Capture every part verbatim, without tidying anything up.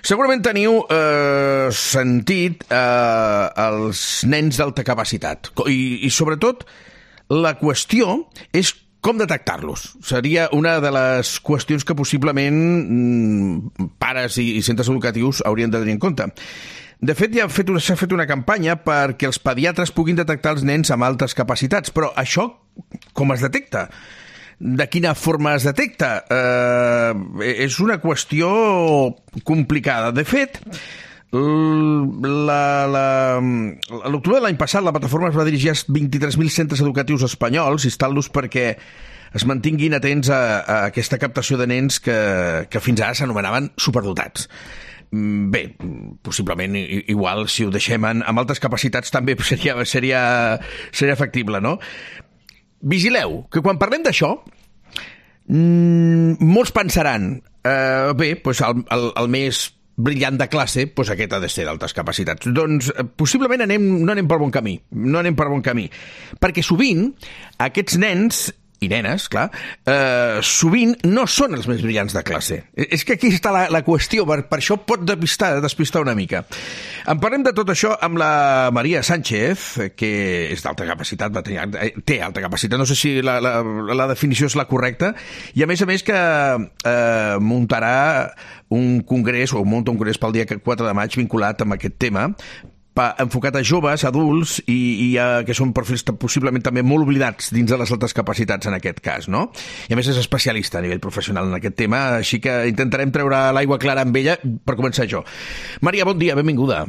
Segurament teniu eh, sentit eh, els nens d'alta capacitat i, i sobretot la qüestió és com detectar-los. Seria una de les qüestions que possiblement mm, pares i, i centres educatius haurien de tenir en compte. De fet, ja s'ha fet, fet una campanya perquè els pediatres puguin detectar els nens amb altes capacitats, però això com es detecta? De quina forma es detecta? Eh, és una qüestió complicada. De fet, l'octubre de l'any passat la plataforma es va dirigir als vint-i-tres mil centres educatius espanyols instant-los perquè es mantinguin atents a, a aquesta captació de nens que, que fins ara s'anomenaven superdotats. Bé, possiblement igual si ho deixem en, amb altes capacitats també seria, seria, seria factible, no? Vigileu, que quan parlem d'això mmm, molts pensaran eh, bé, doncs el, el, el més brillant de classe, doncs aquest ha de ser d'altes capacitats. Doncs possiblement anem, no anem per bon camí, no anem per bon camí, perquè sovint aquests nens i nenes, clar, eh, sovint no són els més brillants de classe. És que aquí està la, la qüestió, per, per això pot despistar, despistar una mica. En parlem de tot això amb la Maria Sánchez, que és d'alta capacitat, va tenir, té alta capacitat, no sé si la, la, la definició és la correcta, i a més a més que eh, muntarà un congrés, o munta un congrés pel dia quatre de maig vinculat amb aquest tema, enfocat a joves, adults i, i a, que són perfils possiblement també molt oblidats dins de les altes capacitats en aquest cas, no? I a més és especialista a nivell professional en aquest tema, així que intentarem treure l'aigua clara amb ella per començar jo. Maria, bon dia, benvinguda.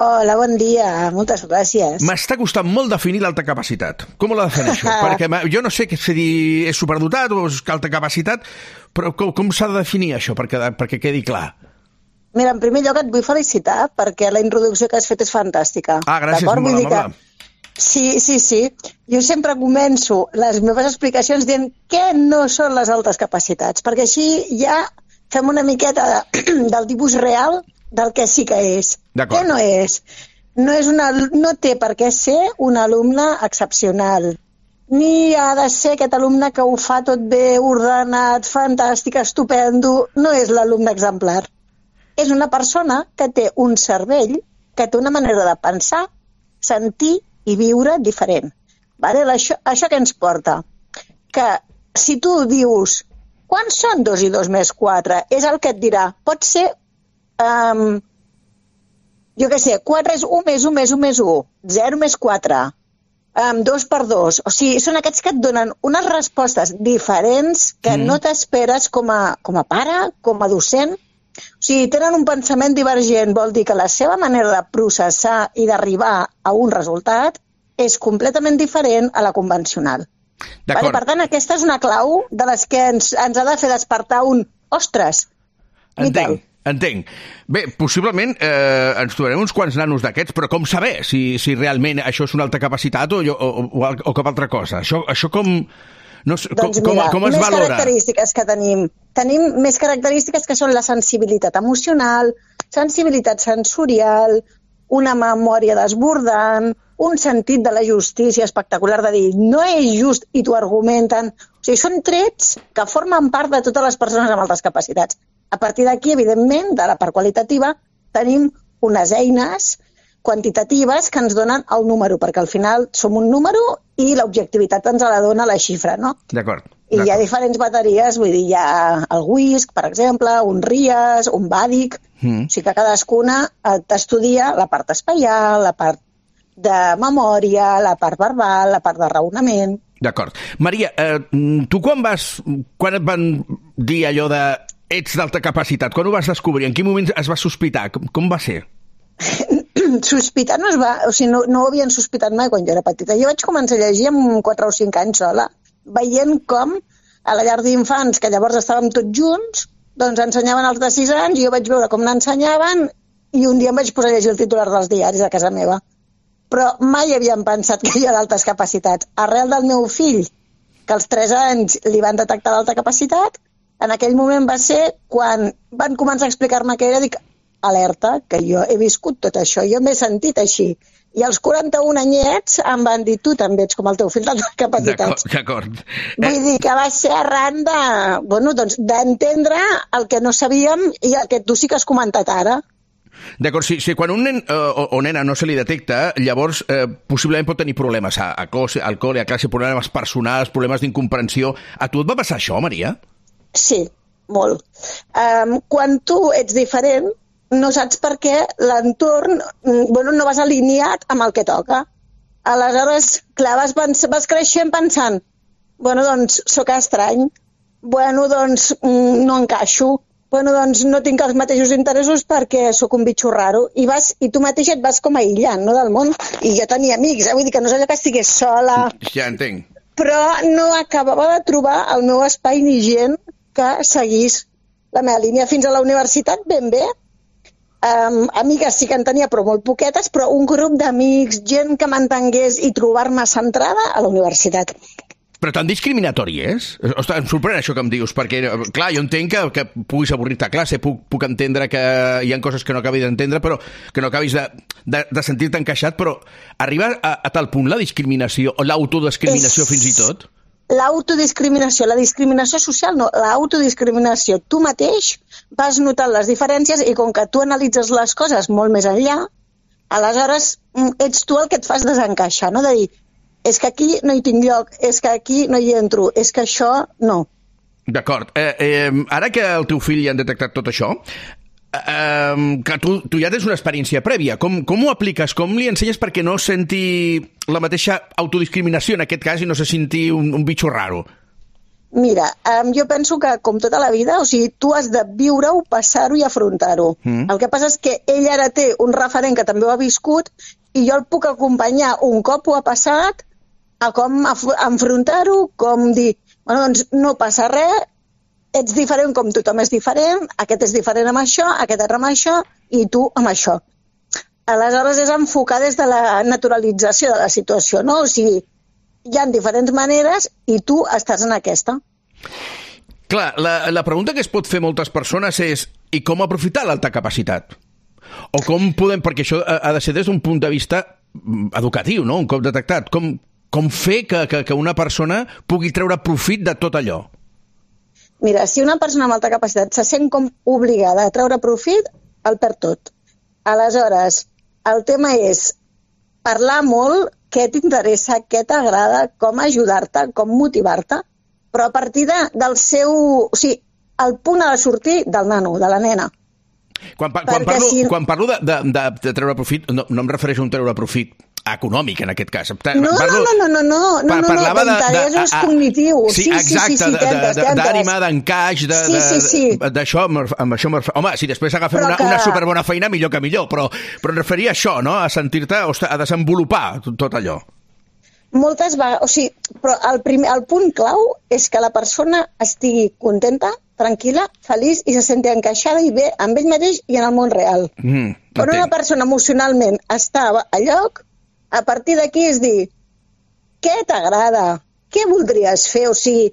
Hola, bon dia, moltes gràcies. M'està costant molt definir l'alta capacitat. Com la defineixo? Perquè jo no sé què és dir, és superdotat o és alta capacitat, però com, com s'ha de definir això perquè, perquè quedi clar? Mira, en primer lloc et vull felicitar perquè la introducció que has fet és fantàstica. Ah, gràcies, molt amable. Sí, sí, sí. Jo sempre començo les meves explicacions dient què no són les altes capacitats, perquè així ja fem una miqueta de, del tipus real del que sí que és. Què no és? No, és una, no té per què ser un alumne excepcional, ni ha de ser aquest alumne que ho fa tot bé, ordenat, fantàstic, estupendo. No és l'alumne exemplar. És una persona que té un cervell, que té una manera de pensar, sentir i viure diferent. Vale? Això, això què ens porta? Que si tu dius, quants són dos i dos més quatre? És el que et dirà. Pot ser, um, jo què sé, quatre és un més un més un més un, zero més quatre, um, dos per dos. O sigui, són aquests que et donen unes respostes diferents que mm. no t'esperes com a, com a pare, com a docent. O sigui, tenen un pensament divergent, vol dir que la seva manera de processar i d'arribar a un resultat és completament diferent a la convencional. Vale? Per tant, aquesta és una clau de les que ens, ens ha de fer despertar un ostres. Entenc, entenc. Bé, possiblement eh, ens trobarem uns quants nanos d'aquests, però com saber si, si realment això és una alta capacitat o, o, o, o cap altra cosa? Això, això com... No, doncs com, mira, com es més valora? Característiques que tenim. Tenim més característiques que són la sensibilitat emocional, sensibilitat sensorial, una memòria desbordant, un sentit de la justícia espectacular de dir no és just i t'ho argumenten. O sigui, són trets que formen part de totes les persones amb altes capacitats. A partir d'aquí, evidentment, de la part qualitativa, tenim unes eines quantitatives que ens donen el número, perquè al final som un número i l'objectivitat ens la dona la xifra, no? D'acord. I hi ha diferents bateries, vull dir, hi ha el WISC, per exemple, un RIAS, un BADIC, mm. o sigui que cadascuna t'estudia la part espaial, la part de memòria, la part verbal, la part de raonament... D'acord. Maria, eh, tu quan vas, quan et van dir allò de ets d'alta capacitat, quan ho vas descobrir? En quin moment es va sospitar? Com, com va ser? Sospitar no es va... O sigui, no, no ho havien sospitat mai quan jo era petita. Jo vaig començar a llegir amb quatre o cinc anys sola, veient com a la llar d'infants, que llavors estàvem tots junts, doncs ensenyaven els de sis anys i jo vaig veure com n'ensenyaven i un dia em vaig posar a llegir el titular dels diaris a casa meva. Però mai havíem pensat que hi ha d'altes capacitats. Arrel del meu fill, que als tres anys li van detectar l'alta capacitat, en aquell moment va ser quan van començar a explicar-me què era, dic, alerta, que jo he viscut tot això, jo m'he sentit així. I els quaranta-un anyets em van dir, tu també ets com el teu fill d'altes capacitats. D'acord. Vull dir que va ser arran de, bueno, doncs, d'entendre el que no sabíem i el que tu sí que has comentat ara. D'acord, si, si quan un nen eh, o, o nena no se li detecta, llavors eh, possiblement pot tenir problemes a, a cos, al col, a classe, problemes personals, problemes d'incomprensió. A tu et va passar això, Maria? Sí, molt. Um, quan tu ets diferent, no saps per què l'entorn, bueno, no vas alineat amb el que toca. Aleshores, clar, vas, vas creixent pensant, bueno, doncs, sóc estrany, bueno, doncs, no encaixo, bueno, doncs, no tinc els mateixos interessos perquè sóc un bitxo raro. I, vas, i tu mateix et vas com aïllant, no?, del món. I jo tenia amics, eh? Vull dir que no és allò que estigués sola. Ja entenc. Però no acabava de trobar el meu espai ni gent que seguís la meva línia fins a la universitat ben bé. Um, amigues sí que en tenia, però molt poquetes, però un grup d'amics, gent que m'entengués i trobar-me centrada a la universitat. Però tan discriminatori és? Ostres, em sorprèn això que em dius, perquè, clar, jo entenc que, que puguis avorrir-te a classe, puc, puc entendre que hi ha coses que no acabis d'entendre, però que no acabis de, de, de sentir-te encaixat, però arriba a, a tal punt la discriminació, o l'autodiscriminació fins i tot? L'autodiscriminació, la discriminació social no, l'autodiscriminació. Tu mateix vas notant les diferències i com que tu analitzes les coses molt més enllà, aleshores ets tu el que et fas desencaixar, no? De dir, és que aquí no hi tinc lloc, és que aquí no hi entro, és que això no. D'acord. Eh, eh, ara que el teu fill ja han detectat tot això, Uh, que tu, tu ja tens una experiència prèvia. Com, com ho apliques? Com li ensenyes perquè no senti la mateixa autodiscriminació en aquest cas i no se senti un, un bitxo raro? Mira, um, jo penso que com tota la vida, o sigui, tu has de viure-ho, passar-ho i afrontar-ho. Mm. El que passa és que ell ara té un referent que també ho ha viscut i jo el puc acompanyar un cop ho ha passat a com enfrontar-ho, com dir, bueno, doncs no passa res, ets diferent com tothom és diferent, aquest és diferent amb això, aquest és amb això, i tu amb això. Aleshores és enfocar des de la naturalització de la situació, no? O sigui, hi ha diferents maneres i tu estàs en aquesta. Clar, la, la pregunta que es pot fer moltes persones és i com aprofitar l'alta capacitat? O com podem, perquè això ha de ser des d'un punt de vista educatiu, no? Un cop detectat. Com, com fer que, que, que una persona pugui treure profit de tot allò? Mira, si una persona amb alta capacitat se sent com obligada a treure profit, el perd tot. Aleshores, el tema és parlar molt, què t'interessa, què t'agrada, com ajudar-te, com motivar-te, però a partir de, del seu... O sigui, el punt ha de sortir del nano, de la nena. Quan, quan, parlo, si... quan parlo de, de, de, de treure profit, no, no em refereixo a un treure profit econòmic, en aquest cas. No, parlo, no, no, no, no, no, no, no, d'interessos cognitius. Sí, exacte, d'ànima, d'encaix, d'això, amb això... Home, si després agafem una, una superbona feina, millor que millor, però, però em referia a això, no?, a sentir-te, a desenvolupar tot allò. Moltes vegades, o sigui, però el, primer, el punt clau és que la persona estigui contenta, tranquil·la, feliç i se senti encaixada i bé amb ell mateix i en el món real. Mm, Quan una persona emocionalment està a lloc, a partir d'aquí és dir, què t'agrada? Què voldries fer? O sigui,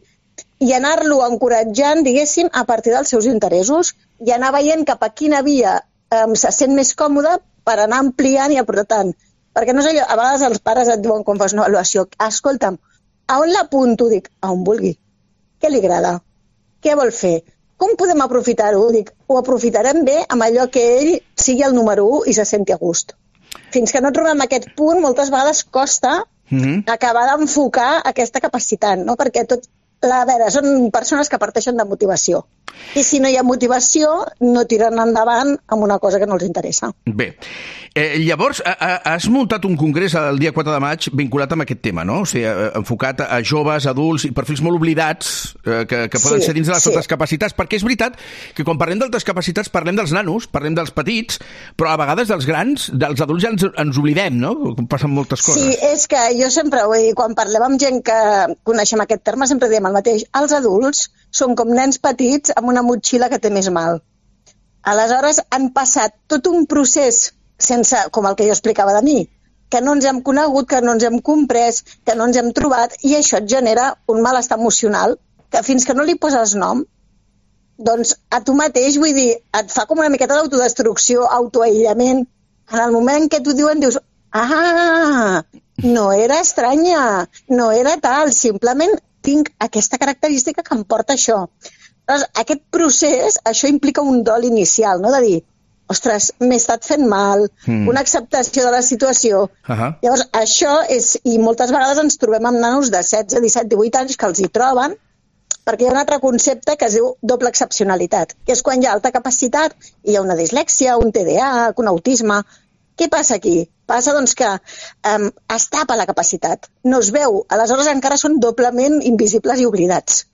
i anar-lo encoratjant, diguéssim, a partir dels seus interessos i anar veient cap a quina via um, se sent més còmode per anar ampliant i aportant. Perquè no és allò, a vegades els pares et diuen quan fas una avaluació, escolta'm, a on l'apunto? Dic, a on vulgui. Què li agrada? Què vol fer? Com podem aprofitar-ho? Dic, ho aprofitarem bé amb allò que ell sigui el número u i se senti a gust. Fins que no trobem aquest punt, moltes vegades costa mm-hmm. acabar d'enfocar aquesta capacitat, no? Perquè tot, la, a veure, són persones que parteixen de motivació. I si no hi ha motivació, no tiren endavant amb una cosa que no els interessa. Bé, eh, llavors has muntat un congrés el dia quatre de maig vinculat amb aquest tema, no? O sigui, enfocat a joves, adults i perfils molt oblidats eh, que, que poden sí, ser dins de les sí. altres capacitats, perquè és veritat que quan parlem d'altres capacitats parlem dels nanos, parlem dels petits, però a vegades dels grans, dels adults ja ens, ens oblidem, no? Passen moltes coses. Sí, és que jo sempre, vull dir, quan parlem amb gent que coneixem aquest terme, sempre diem el mateix. Els adults són com nens petits amb una motxilla que té més mal. Aleshores han passat tot un procés sense, com el que jo explicava de mi, que no ens hem conegut, que no ens hem comprès, que no ens hem trobat, i això et genera un malestar emocional que fins que no li poses nom, doncs a tu mateix, vull dir, et fa com una miqueta d'autodestrucció, autoaïllament. En el moment que t'ho diuen dius, ah, no era estranya, no era tal, simplement tinc aquesta característica que em porta això. Llavors, aquest procés, això implica un dol inicial, no? De dir, ostres, m'he estat fent mal, mm. una acceptació de la situació. Uh-huh. Llavors, això és, i moltes vegades ens trobem amb nanos de setze, disset, divuit anys que els hi troben, perquè hi ha un altre concepte que es diu doble excepcionalitat, que és quan hi ha alta capacitat i hi ha una dislèxia, un T D A, un autisme. Què passa aquí? Passa doncs, que um, es tapa la capacitat, no es veu, aleshores encara són doblement invisibles i oblidats.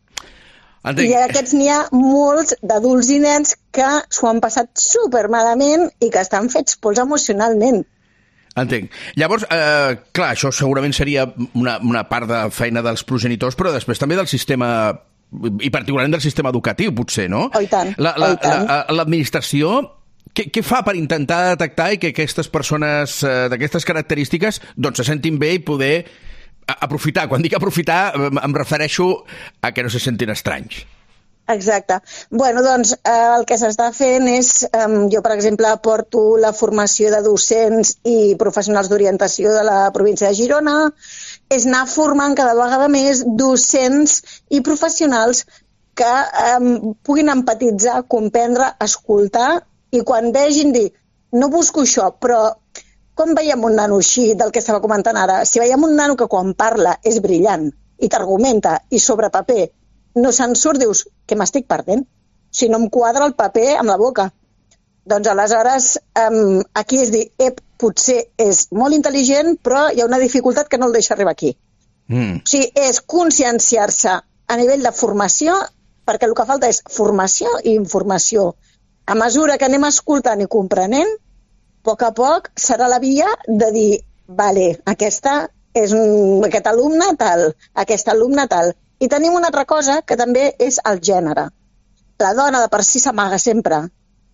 Entenc. I aquests n'hi ha molts d'adults i nens que s'ho han passat supermalament i que estan fets pols emocionalment. Entenc. Llavors, eh, clar, això segurament seria una, una part de feina dels progenitors, però després també del sistema, i particularment del sistema educatiu, potser, no? Oh, i tant. La, la, oh, i tant. La, l'administració, què, què fa per intentar detectar i que aquestes persones eh, d'aquestes característiques doncs se sentin bé i poder aprofitar? Quan dic aprofitar, em refereixo a que no se sentin estranys. Exacte. Bueno, doncs eh, el que s'està fent és, eh, jo per exemple porto la formació de docents i professionals d'orientació de la província de Girona, és anar formant cada vegada més docents i professionals que eh, puguin empatitzar, comprendre, escoltar, i quan vegin dir, no busco això, però com veiem un nano així, del que estava comentant ara, si veiem un nano que quan parla és brillant i t'argumenta i sobre paper no se'n surt, dius, què m'estic perdent? Si no em quadra el paper amb la boca. Doncs aleshores um, aquí és dir, ep, potser és molt intel·ligent, però hi ha una dificultat que no el deixa arribar aquí. Mm. O sigui, és conscienciar-se a nivell de formació, perquè el que falta és formació i informació. A mesura que anem escoltant i comprenent, a poc a poc serà la via de dir, vale, aquesta és un, aquest alumne tal, aquest alumne tal. I tenim una altra cosa que també és el gènere. La dona de per si s'amaga sempre,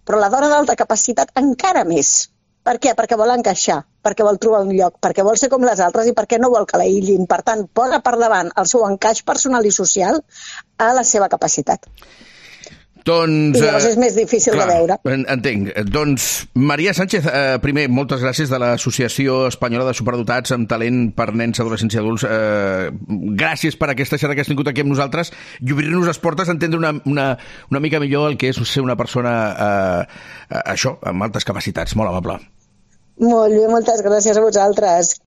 però la dona d'alta capacitat encara més. Per què? Perquè vol encaixar, perquè vol trobar un lloc, perquè vol ser com les altres i perquè no vol que l'aïllin. Per tant, posa per davant el seu encaix personal i social a la seva capacitat. Doncs, I llavors és més difícil clar, de veure. Entenc. Doncs, Maria Sánchez, eh, primer, moltes gràcies de l'Associació Espanyola de Superdotats amb Talent per Nens, Adolescents i Adults. Eh, gràcies per aquesta xerrada que has tingut aquí amb nosaltres i obrir-nos les portes a entendre una, una, una mica millor el que és ser una persona, eh, això, amb altes capacitats. Molt amable. Molt bé, moltes gràcies a vosaltres.